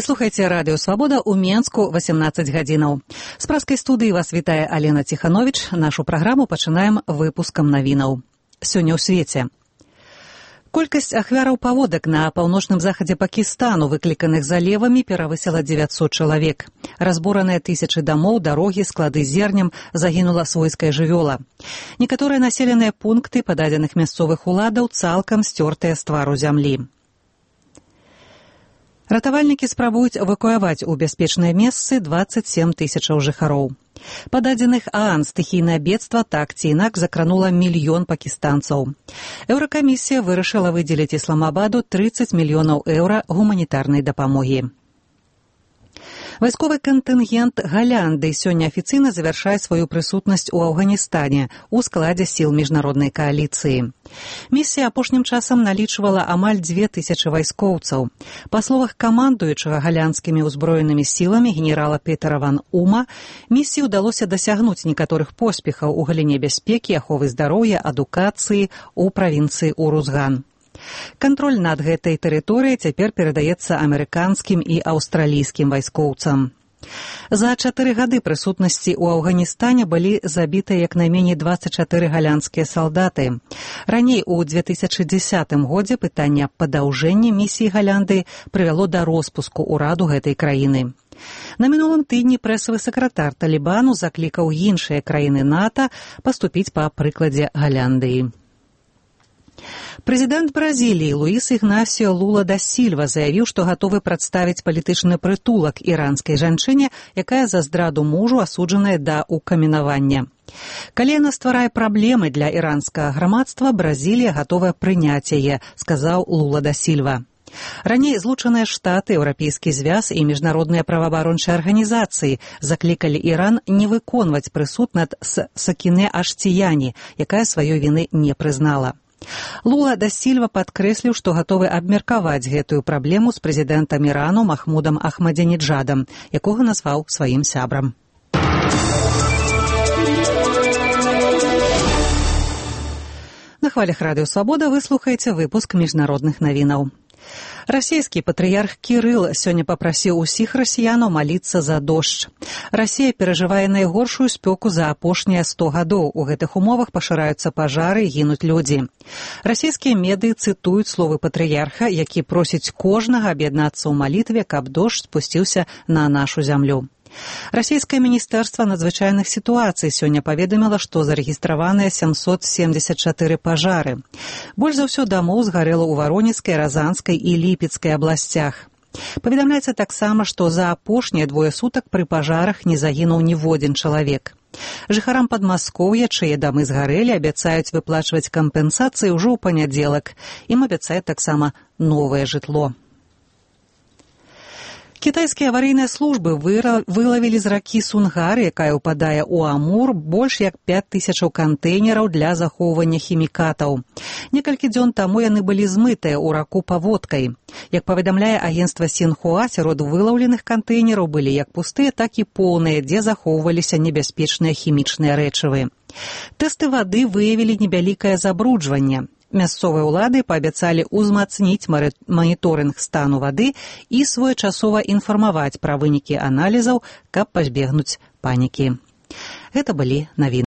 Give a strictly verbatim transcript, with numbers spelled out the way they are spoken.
слухаеце радыё «Свабода» ў Менску восемнадцать гадзінаў. З праскай студыі вас вітае Алена Ціхановіч. Нашу праграму пачынаем выпускам навінаў. Сёння ў свеце. Колькасць ахвяраў паводак на паўночным захадзе Пакістану, выкліканых залевамі, перавысіла дзевяцьсот чалавек. Разбураныя тысячы дамоў, дарогі, склады зернем, загінула свойская жывёла. Некаторыя населеныя пункты па дадзеных мясцовых уладаў цалкам сцёртыя з твару зямлі. Ратавальнікі спрабуюць эвакуяваць у бяспечныя месцы дваццаць сем тысячаў жыхароў. Па дадзеных ААН стыхійнае бедства так ці інакш закранула мільён пакістанцаў. Еўракамісія вырашыла выдзеліць Ісламабаду трыццаць мільёнаў еўра гуманітарнай дапамогі. Вайсковы кантынгент Галянды сёння афіцыйна завяршае сваю прысутнасць у Афганістане у складзе сіл міжнароднай кааліцыі. Місія апошнім часам налічвала амаль дзве тысячы вайскоўцаў. Па словах камандуючага галянскімі ўзброенымі сіламі генерала Петера ван Ума, місіі ўдалося дасягнуць некаторых поспехаў у галіне бяспекі, аховы здароўя, адукацыі ў правінцыі Урузган. Кантроль над гэтай тэрыторыяй цяпер перадаецца амерыканскім і аўстралійскім вайскоўцам. За чатыры гады прысутнасці ў Афганістане былі забітыя як найменей дваццаць чатыры галянскія салдаты. Раней у две тысячы дзесятым годзе пытанне аб падаўжэнні місіі Галянды прывяло да роспуску ўраду гэтай краіны. На мінулым тыдні прэсавы сакратар Талібану заклікаў іншыя краіны НАТО паступіць па прыкладзе Галяндыі. Прэзідэнт Бразіліі Луіс Ігнасіо Лула да Сільва заявіў, што гатовы прадставіць палітычны прытулак іранскай жанчыне, якая за здраду мужу асуджаная да укаменавання. Калі яна стварае праблемы для іранскага грамадства, Бразілія гатовая прыняць яе, сказаў Лула да Сільва. Раней Злучаныя Штаты, Еўрапейскі звяз і міжнародныя праваабарончыя арганізацыі заклікалі Іран не выконваць прысуд над Сакінэ Аштіяні, якая сваёй віны не прызнала. Лула да Сільва падкрэсліў, што гатовы абмеркаваць гэтую праблему з прэзідэнтам Ірану Махмудам Ахмадзінеджадам, якога назваў сваім сябрам. На хвалях радыё «Свабода» вы слухаеце выпуск міжнародных навінаў. Расійскі патрыярх Кірыл сёння папрасіў усіх расіянаў маліцца за дождж. Расія перажывае найгоршую спёку за апошнія сто гадоў. У гэтых умовах пашыраюцца пажары і гінуць людзі. Расійскія медыі цытуюць словы патрыярха, які просіць кожнага аб'яднацца ў малітве, каб дождж спусціўся на нашу зямлю. Расійскае міністэрства надзвычайных сітуацый сёння паведаміла, што зарэгістраваныя сямсот семдзесят чатыры пажары. Больш за ўсё дамоў згарэла ў Варонежскай, Разанскай і Ліпецкай абласцях. Паведамляецца таксама, што за апошнія двое сутак пры пажарах не загінуў ніводзін чалавек. Жыхарам Падмаскоўя, чые дамы згарэлі, абяцаюць выплачваць кампенсацыі ўжо ў панядзелак. Ім абяцаюць таксама новае жытло. Кітайскія аварыйныя службы вылавілі з ракі Сунгар, якая ўпадае ў Амур, больш як пяць тысячаў кантэйнераў для захоўвання хімікатаў. Некалькі дзён таму яны былі змытыя ў раку паводкай. Як паведамляе агенцтва Сінхуа, сярод вылаўленых кантэйнераў былі як пустыя, так і поўныя, дзе захоўваліся небяспечныя хімічныя рэчывы. Тэсты вады выявілі невялікае забруджванне. Мясцовыя ўлады паабяцалі ўзмацніць маніторынг стану вады і своечасова інфармаваць пра вынікі аналізаў, каб пазбегнуць панікі. Гэта былі навіны.